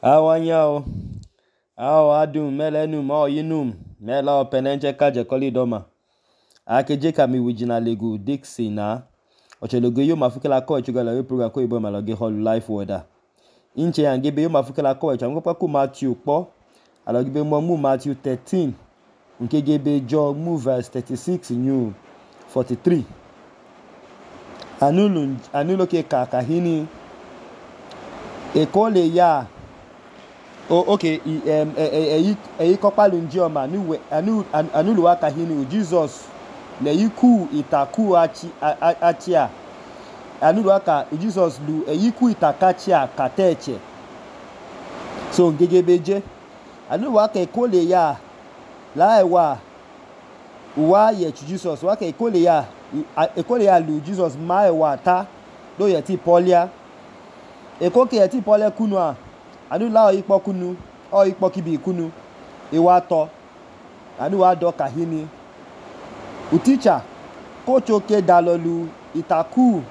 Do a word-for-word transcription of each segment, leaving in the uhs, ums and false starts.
Awanyao, ao adum melenum o yinum mela openenche kaje kolidoma. Ake jeka mi wijina legu Dixie na. Ocheloge yo mafukela ko echugala we program ko ibo maloge hall life weather. Inche yangebe yo mafukela ko echu amgopa ku Matthew po. Alogebe mo mu Matthew thirteen. Nkegebe jo mu verse thirty-six new forty-three. Anulu anulo ke kakahini. Ekole ya Oh, okay. Um, eyi eyi kopalu njioma anu anu anulu waka hini Jesus le yiku itaku achi achia anulu waka Jesus lu eyiku itakachia kateche so ngegebeje anulu waka ekole ya la ewa wa ye Jesus waka ekole ya ekole ya lu Jesus ma ewa ta do ye ti polia ekoke ye ti polia kunua anu la oyipo kunu oyipo kibi kunu iwato anu wa do kahini uticha kochoke dalolu itaku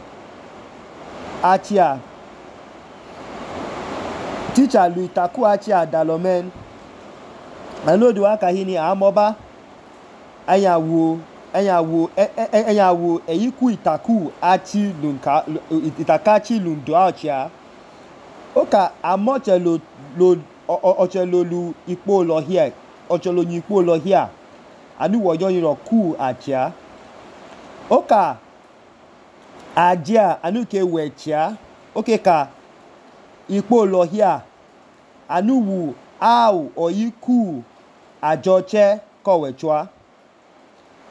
achia teacher lu itaku achia dalomen anu do wa kahini amoba ayawo ayawo ayawo eyiku itaku achi lunka itakachi lundo achia Oka amoche lo lo ochelo lu ipo lo here ochelo ni ipo lo here anu wo yo yin ku achia Oka ajia anu ke wechia oke ka ipo lo here anu wu au oyiku ajoche ko wechwa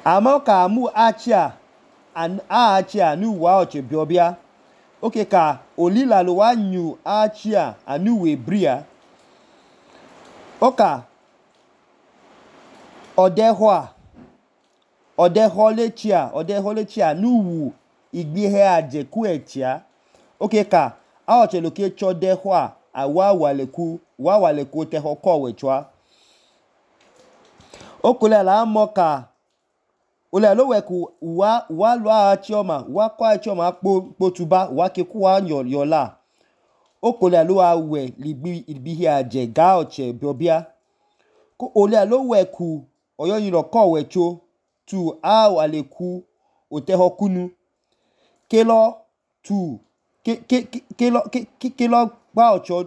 amoka mu achia an achia anu wa oche biobia Oke ka olila lo wa nyu achia anu we bria Oka odehwa odeholechia odeholechia nu wu igbihe ajeku echia Oke ka aoche lo ke chodehwa awa waleku wa waleku teho ko wechwa Okule la moka Ole lo weku wa wa lo achioma wa kwa achioma po potuba wa ke ku wa yo yola okole lo awe libi ibihi aje ga oche biobia ko ole lo weku oyo yin ro ko wecho tu a aleku oteho kunu kelo tu ke ke kelo ke kelo gba ocho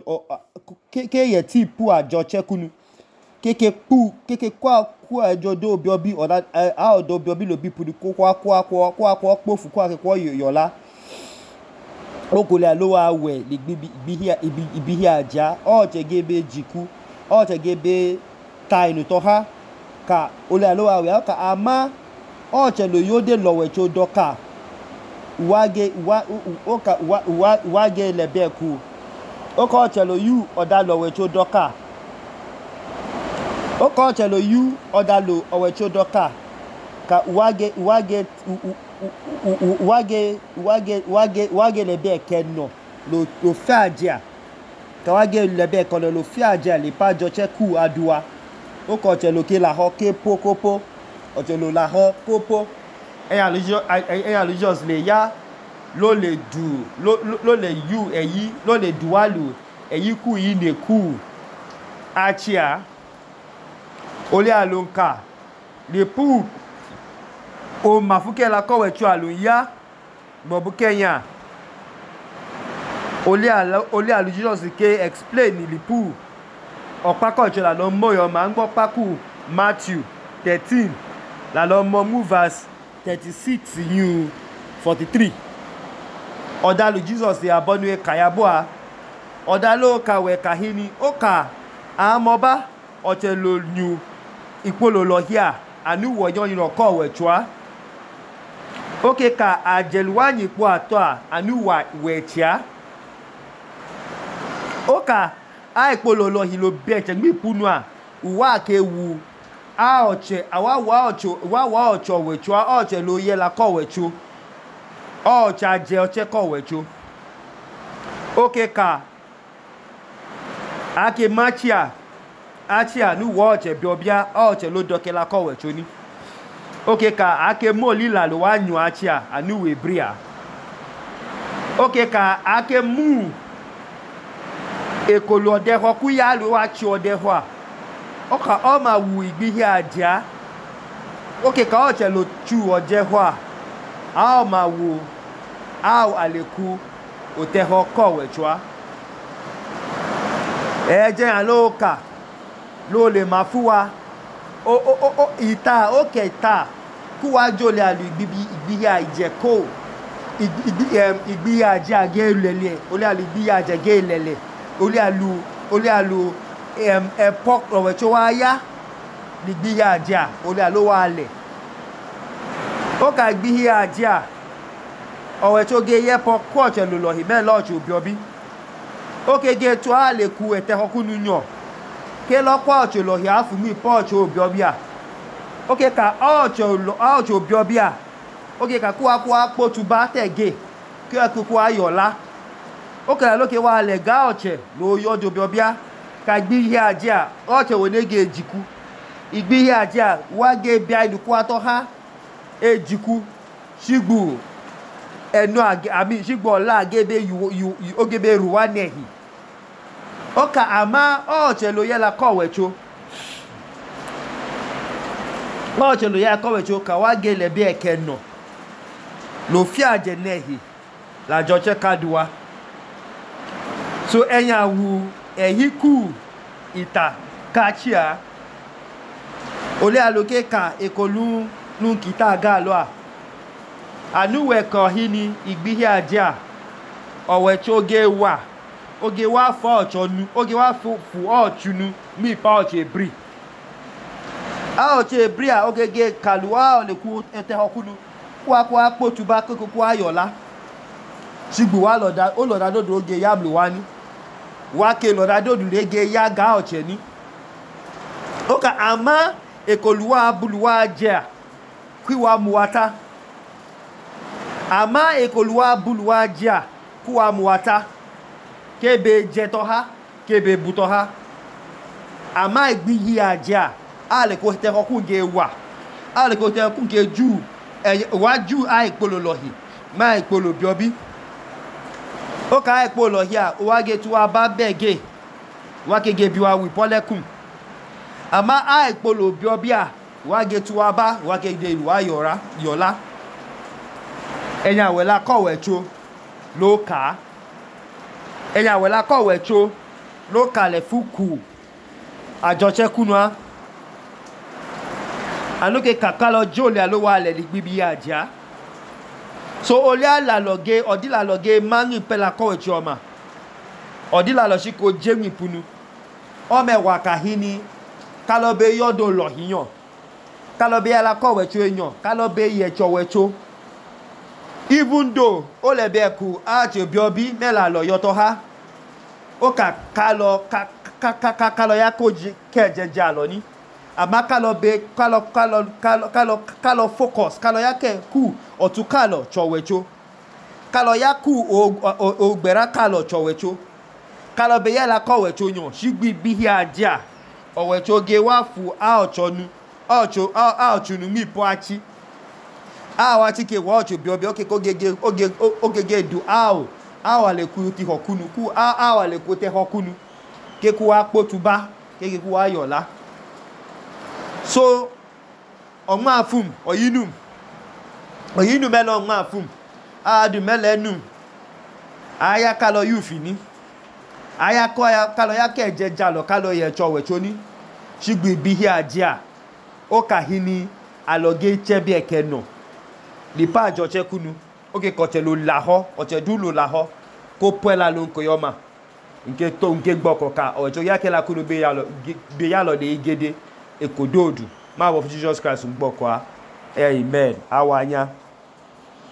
ke ke ye ti pu ajo che kunu ke ke pu ke ke kwa ku ajo do biobi oda a odo biobi lo bi pudi ko kwa kwa kwa kwa kwa pofu kwa ke kwa yola okole lo awe ligbi bihi ibihi aja o chegebe jiku o chegebe tainu to ha ka ole lo awe ka ama o chelo yode lowe cho doka wage wa oka wa wage lebeku oka o chelo yu oda lowe cho doka Oko chelo yu odalo owecho doka ka wage wage wage wage wage wage lebe kenno lo lo faja ka wage lebe kono lo faja le pa joche ku adua Oko chelo ke la ho ke pokopo o chelo la ho popo eyan lijo eyan lijos le ya lo le du lo lo le yu eyi lo le dualu eyi ku yi ne ku achia Ole alonka le pu o mafuke la ko wechu alunya bobu Kenya Ole ala ole alu Jesus ke explain li pu opako che la lo moyo ma ngbo paku Matthew thirteen la lo mo mu verse thirty-six new forty-three Oda lu Jesus e abonu e kayaboa Oda lo ka we kahini oka amoba ochelo new Ipolo lo here anu wo yon yin ko wechwa Oke ka ajelwanyi po ato a anu wa wechia Oka a ipolo lo hilo beche gbi punu a uwa ke wu a oche awa wa ocho wa wa ocho wechwa oche lo ye la ko wechu oche aje oche ko wechu Oke ka ake machia Achia nu wo oche biobia oche lo dokela ko wecho ni Oke ka ake mo lila lo wa nyu achia anu we bria Oke ka ake mu ekolo ọdẹhọ kú yá ló wá tsi ọdẹhọ a ọkà ọmà wù ìgbìhì àjà ókè ká ọ̀tsẹ̀ ló tsu ọdẹhọ a a ọmà wù a àlèkù òtẹhọ kọ̀wẹ̀ tsua ẹ̀ẹ́dẹ́ yàn ló kà ló lè má fún wa o o o ìta ókè ìta kú wá jòlè àlù ìgbìhì àjẹkó ìgbìhì àjẹ àgé lẹ̀lẹ̀ olè àlù ìgbìhì àjẹgé lẹ̀lẹ̀ olè àlù olè àlù ẹ̀pọ̀ ọ̀wẹ̀ tó wá yá ìgbìhì àjẹ olè àlù wà lẹ̀ ó kà ìgbìhì àjẹ ọ̀wẹ̀ tó gé yẹ́pọ̀ kú ọ̀tsẹ̀ lò lọ̀ ìmẹ́ lọ́ọ̀tsì òbíọ́bí ó kége tó a lè ku ẹ̀tẹ̀ ọkùnú yàn ké lọ́pọ̀ ọ̀tsẹ̀ lọ̀ yà á fún mi pọ̀ ọ̀tsẹ̀ òbíọ́bí à ó ké ka ọ̀tsẹ̀ òbíọ́bí à ó ké ka kú wa kú wa kpótu bá tẹ̀gé kí wọ́n kú kú wa yọ̀lá ó kẹ́lá lókè wa lẹ̀ gá ọ̀tsẹ̀ ló yọ̀dọ̀ òbíọ́bí à ka ìgbìhì àjẹ à ọ̀tsẹ̀ wò ní gé èjìkú ìgbìhì àjẹ à wá gé bíà ìdùkú atọ́ ha èjìkú sígbù ẹnu àmì sígbù ọ̀la àgébé ògébé rùwá nẹ̀hì ọkà àmà ọ̀tsẹ̀ ló yẹ la kọ̀wẹ̀ tso ọ̀tsẹ̀ ló yẹ la kọ̀wẹ̀ tso kà wá gé lẹ̀ bí ẹ̀kẹ́ nọ̀ lò fi àjẹ nẹ̀hì làjọ tsẹ́ ká du wa so ẹ̀yìn àwù ẹ̀yí kù ìta kàtsíà olè àlòké kà èkólú nù kìtà gà lọ́à ànúwẹ̀ kàn hí ni ìgbìhì àjẹ à ọ̀wẹ̀ tí ó gé wà ó gé wá fọ́ ọ̀tsọ̀nu ó gé wá fù ọ̀tsunu mí ìpá ọ̀tsẹ̀ èbrì a ọ̀tsẹ̀ èbrì à ó gé gé kàlù wá ọ̀lẹ̀kú ẹ̀tẹ̀ ọkùnú kú wá kú wá kpótu bá kókó kú wá yọ̀lá sígbù wá lọ̀dà ó lọ̀dà dòdò ó gé yáblu wá ní wá ké lọ̀dà dòdò lé gé yá gá ọ̀tsẹ̀ ní ó kà àmà èkólú wá bulu wá jẹ à kú wá mu wá tá àmà èkólú wá bulu wá jẹ à kú wá mu wá tá kébé jẹtọ ha kébé butọ ha àmà ìgbìhì àjẹ à a lè kó tẹ ọkùn gé wà a lè kó tẹ ọkùn gé jù wá jù á ìpolò lọ̀hì má ìpolò bíọ́bí ó ká ìpolò lọ̀hì à wá gé tí wá bá bẹ́ẹ̀ gé wá kége bí wá wì pọ́lẹ́kùn àmà á ìpolò bíọ́bí à wá gé tí wá bá wá kége ìlú wá yọ̀lá ẹ̀yìn àwẹ̀lá kọ̀wẹ̀ tso ló kà á ẹ̀yìn àwẹ̀lá kọ̀wẹ̀ tso ló kalẹ̀ fún kù àjọṣẹ́kùnú á ànúkè kàkà lọ jóòlì àlówó alẹ̀ ní gbígbí àjá so olè àlàlọ́gé ọ̀dílàlọ́gé márùn pẹ́lá kọ̀wẹ̀ tso ọmọ ọ̀dílàlọ́ sí kò jéwìn punu ọmọ ẹ̀wà kàhí ni kálọ́bẹ̀ yọ́dọ̀ lọ̀híyàn kálọ́bẹ̀ yàrá kọ̀wẹ̀ tso èèyàn kálọ́bẹ̀ yẹ̀tsọ̀wẹ̀ tso even though ó lè bẹ́ẹ̀ kú àti òbíọ́bí mẹ́la lọ yọtọ̀ ha ó kà kálọ kálọ kálọ ya kó kẹ́ẹ̀jẹ̀jẹ̀ àlọ́ ní àmá kálọ bẹ kálọ kálọ kálọ kálọ focus kálọ ya kẹ́ kú ọ̀tún kálọ tsọ̀wẹ̀tso kálọ ya kú ògbẹ̀rá kálọ tsọ̀wẹ̀tso kálọ bẹ yàrá kọ̀wẹ̀tso yàn sígbì bíhí àjà ọ̀wẹ̀tso gé wá fù àọ̀tsọ̀nu àọ̀tsọ̀nu mí pọ́ àtsi awa ti ke wo ocho biobi oke ko gege oge ogege du awo awa le ku ti hokunu ku awa le ku te hokunu ke ku wa potuba ke ke ku wa yola so ọmọ afum oyinu oyinu melo ọmọ afum adu melenu aya kalo yufini aya ko aya kalo ya ke jeja lo kalo ye chowe choni sigbi bihi ajia o kahini aloge chebe ekeno lipa àjọṣẹ́ kúnu ó kè kọ̀tẹ̀ ló làhọ́ ọ̀tẹ̀ dú ló làhọ́ kó pẹ́ la ló ń kò yọ́mà nke tó nke gbọ́ kọ̀ọ̀ka ọ̀tẹ̀ yákẹ́ la kúnu gbé yálọ̀ lè gẹ́dẹ́ èkó dóòdù máa wọ fún Jesus Christ ń gbọ́ kọ́ amen àwa yá.